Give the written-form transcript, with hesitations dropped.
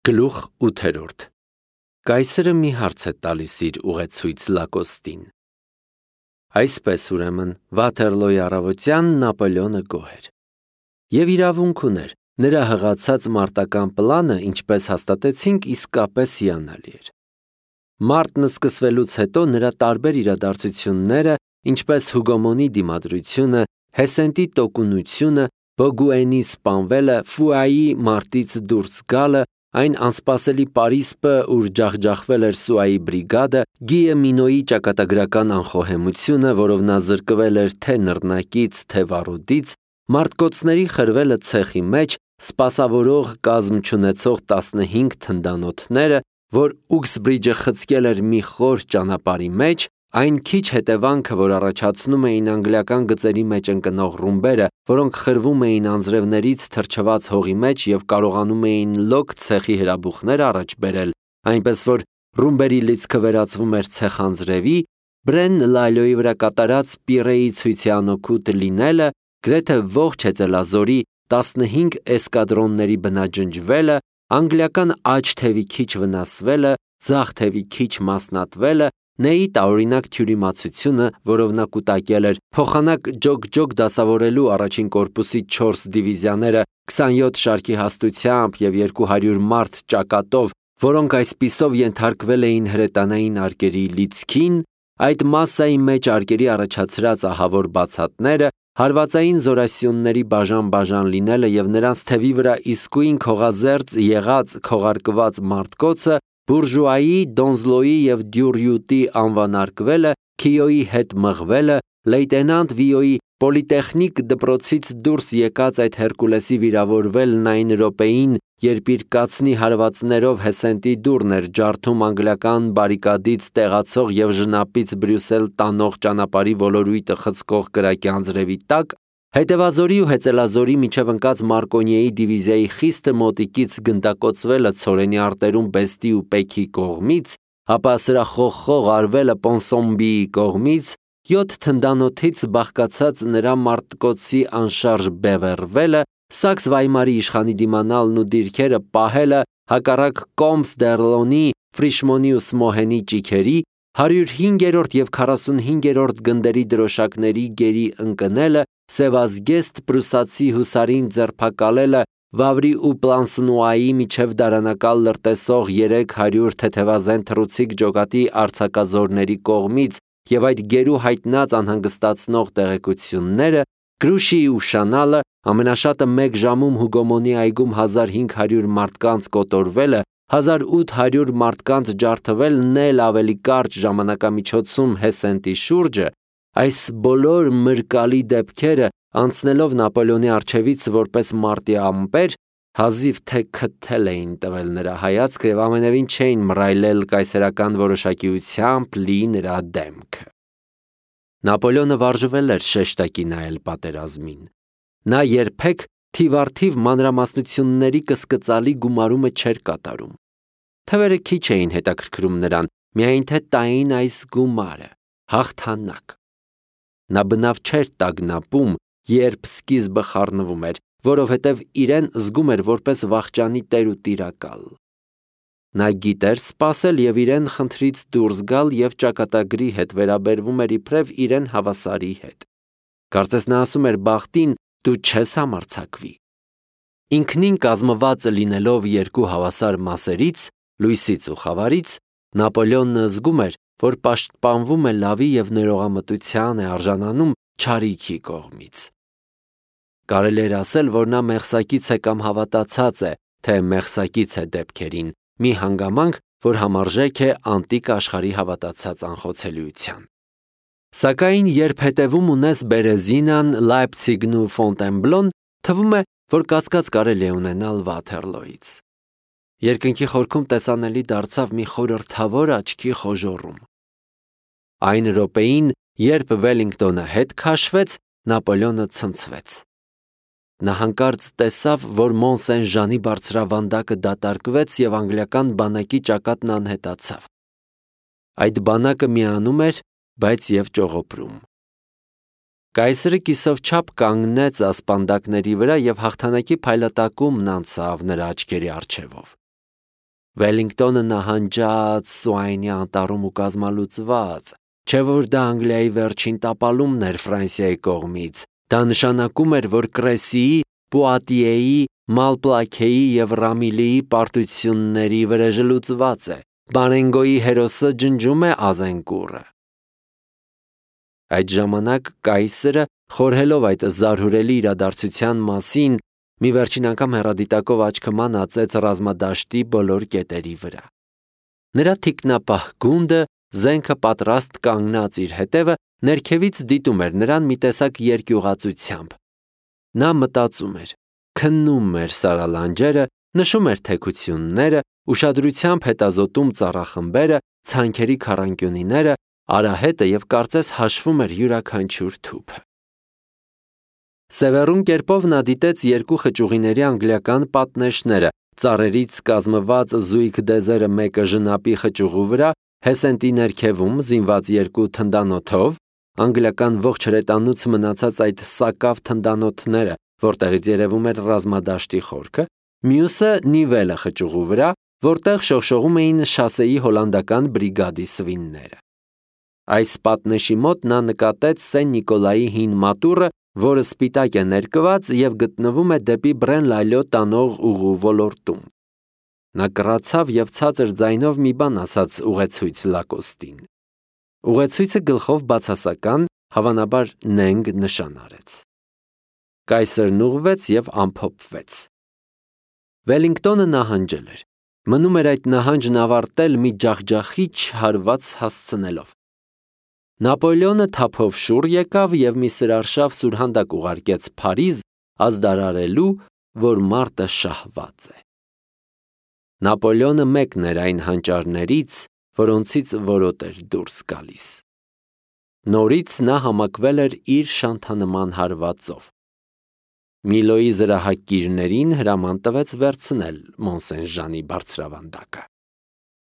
Գլուխ 8. Կայսրը մի հարց է տալիս իր ուղեցույց Լակոստին։ Այսպես ուրեմն Վաթերլոյի առավոտյան Նապոլեոնը գոհ էր։ Եվ իրավունք ուներ, նրա հղացած մարտական պլանը, ինչպես հաստատեցինք, իսկապես հիանալի էր։ Մարտն սկսվելուց հետո նրա տարբեր իրադարձությունները, ինչպես Հուգոմոնի դիմադրությունը, Հեսենտի տոկունությունը, Բոգուենի սպանվելը, Ֆուայի մարտից դուրս գալը, այն անսպասելի Պարիսպը, ուր ջախջախվել էր Սուայի բրիգադը, Գիը Մինոյի ճակատագրական անխոհեմությունը, որով նա զրկվել էր թե նռնակից, թե վառոդից, մարտկոցների խրվելը ցեխի մեջ, սպասավորող կազմ չունեցող 15 թնդանոթները, որ Ուքսբրիջը խցկել էր մի խոր ճանապարհի մեջ, այն քիչ հետևանքը, որ առաջացնում էին անգլիական գծերի մեջ ընկնող ռումբերը, որոնք խրվում էին անձրևներից թրջված հողի մեջ և կարողանում էին լոկ ցեխի հրաբուխներ առաջ բերել, այնպես որ ռումբերի լիցքը վերածվում էր ցեխանձրևի, Բրեն Լալյոյի վրա կատարած Պիրեի ցույցի անօգուտ լինելը, գրեթե ողջ հեծելազորի 15 էսկադրոնների բնաջնջվելը, անգլիական աջ թևի քիչ վնասվելը, ձախ թևի քիչ մասնատվելը, Նեի տարօրինակ թյուրիմացությունը, որով նա կուտակել էր, փոխանակ ջոկ դասավորելու առաջին կորպուսի 4 դիվիզիաները 27 շարքի հաստությամբ և 200 մարդ ճակատով, որոնք այսպիսով ենթարկվել էին հրետանային արկերի լիցքին, այդ մասսայի մեջ արկերի առաջացրած ահավոր բացատները, հարվածային զորասյունների բաժան լինելը և նրանց թևի վրա իսկույն քողազերծ եղած քողարկված մարտկոցը, բուրժուայի, Դոնզլոյի և Դյուրյուտի անվանարկվելը, Քիոյի հետ մղվելը, լեյտենանտ Վիոյի պոլիտեխնիկ դպրոցից դուրս եկած այդ Հերկուլեսի վիրավորվելն այն րոպեին, երբ իր կացնի հարվածներով Հեսենտի դուռն էր ջարդում անգլիական բարիկադից տեղացող և ժնապից Բրյուսել տանող ճանապարհի ոլորույթը խցկող կրակի անձրևի տակ, հետևազորի ու հեծելազորի միջև ընկած Մարկոնիեի դիվիզիայի խիստը մոտիկից գնդակոծվելը ցորենի արտերում Բեստի ու Պեքի կողմից, ապա սրախողխող արվելը Պոնսոմբիի կողմից, 7 թնդանոթից բաղկացած նրա մարտկոցի անշարժ բևեռվելը, Սաքս Վայմարի իշխանի դիմանալն ու դիրքերը պահելը, հակառակ Կոմս դ'Եռլոնի, Ֆրիշմոնի ու Սմոհենի ճիգերի, 105-րդ և 45-րդ գնդերի դրոշակների գերի ընկնելը, սևազգեստ պրուսացի հուսարին ձերբակալելը, Վավրի ու Պլանսնուայի միջև դարանակալ լրտեսող 300 թեթևազեն թռուցիկ ջոկատի արձակազորների կողմից և այդ գերու հայտնած անհանգստացնող տեղեկությունները, Գրուշիի ուշանալը, ամենաշատը մեկ ժամում Հուգոմոնի այգում 1500 մարդկանց կոտորվելը, 1800 մարդկանց ջարդվելն էլ ավելի կարճ ժամանակամիջոցում Հեսենտի շուրջը, այս բոլոր մրկալի դեպքերը, անցնելով Նապոլեոնի առջևից որպես մարտի ամպեր, հազիվ թե քթել էին տվել նրա հայացքը և ամենևին չէին մռայլել կայսերական որոշակիությամբ լի նրա դեմքը։ Նապոլեոնը վարժվել էր շեշտակի նայել պատերազմին։ Նա երբեք թիվառթիվ մանրամասնությունների կսկծալի գումարումը չէր կատարում։ Թվերը քիչ էին հետաքրքրում նրան, միայն թե տային այս գումարը, հաղթանակ։ Նա բնավ չէր տագնապում, երբ սկիզբը խառնվում էր, որովհետև իրեն զգում էր որպես վախճանի տեր ու տիրակալ։ Նա գիտեր սպասել և իրեն խնդրից դուրս գալ և ճակատագրի հետ վերաբերվում էր իբրև իրեն հավասարի հետ։ Կարծես նա ասում էր բախտին, դու չես համարձակվի։ Ինքնին կազմված լինելով երկու հավասար մասերից, լույսից ու խավարից, Նապոլեոնը զգում էր, որ պաշտպանվում է լավի և ներողամտության է արժանանում չարիքի կողմից։ Կարելի էր ասել, որ նա մեղսակից է կամ հավատացած է, թե մեղսակից է դեպքերին, մի հանգամանք, որ համարժեք է անտիկ աշխարհի հավատացած անխոցելիության։ Սակայն երբ հետևում ունես Բերեզինան, Լայպցիգն ու Ֆոնտենբլոն, թվում է, որ կասկած կարելի է ունենալ Վաթերլոյից։ Երկնքի խորքում տեսանելի դարձավ մի խորհրդավոր աչքի խոժոռում։ Այն րոպեին, երբ Վելինգտոնը հետ քաշվեց, Նապոլեոնը ցնցվեց։ Նա հանկարծ տեսավ, որ Մոնսեն-Ժանի բարձրավանդակը դատարկվեց և անգլիական բանակի ճակատն անհետացավ։ Այդ բանակը միանում էր, բայց և ճողոպրում։ Կայսրը կիսով չափ կանգնեց ասպանդակների վրա և հաղթանակի փայլատակումն անցավ նրա աչքերի առջևով։ Վելինգտոնը նահանջած Սուայնի անտառում ու կազմալուծված, չէ որ դա Անգլիայի վերջին տապալումն էր Ֆրանսիայի կողմից, դա նշանակում էր, որ Կրեսիի, Պուատիեի, Մալպլաքեի և Ռամիլիի պարտությունների վրեժը լուծված է, Բարենգոյի հերոսը ջնջում է Ազենկուրը։ Այդ ժամանակ կայսրը, խորհելով այդ զարհուրելի իրադարձության մասին, մի վերջին անգամ հեռադիտակով աչքը մանածեց ռազմադաշտի բոլոր կետերի վրա։ Նրա թիկնապահ գունդը, զենքը պատրաստ կանգնած իր հետևը, ներքևից դիտում էր նրան մի տեսակ երկյուղածությամբ։ Նա մտածում էր, քննում էր սարալանջերը, նշում էր թեքությունները, ուշադրությամբ հետազոտում ծառախմբերը, ցանքերի քառանկյունիները, արահետը և կարծես հաշվում էր յուրաքանչյուր թուփը։ Սևեռուն կերպով նա դիտեց երկու խճուղիների անգլիական պատնեշները, ծառերից կազմված զույգ դեզերը մեկը ժնապի խճուղու վրա, Հեսենտի ներքևում զինված երկու թնդանոթով, անգլիական ողջ հրետանուց մնացած այդ սակավ թնդանոթները, որտեղից երևում էր ռազմադաշտի խորքը, մյուսը Նիվելը խճուղու վրա, որտեղ շողշողում էին շասեի հոլանդական բրիգադի սվինները։ Այս պատնեշի մոտ նա նկատեց Սեն Նիկոլայի հին մատուռը, որը սպիտակ է ներկված և գտնվում է դեպի Բրեն-Լալյո տանող ուղու ոլորտում։ Նա կռացավ և ցածր ձայնով մի բան ասաց ուղեցույց Լակոստին։ Ուղեցույցը գլխով բացասական, հավանաբար նենգ նշան արեց։ Կայսրն ուղղվեց և ամփոփվեց։ Վելինգտոնը նահանջել էր։ Մնում էր այդ նահանջն ավարտել մի ջախջախիչ հարված հասցնելով։ Նապոլեոնը թափով շուռ եկավ և մի սրարշավ սուրհանդակ ուղարկեց Փարիզ, ազդարարելու, որ մարտը շահված է։ Նապոլեոնը մեկն էր այն հանճարներից, որոնցից որոտ էր դուրս գալիս։ Նորից նա համակվել էր իր շանթանման հարվածով։ Միլոյի զրահակիրներին հրաման տվեց վերցնել Մոնսեն-Ժանի բարձրավանդակը։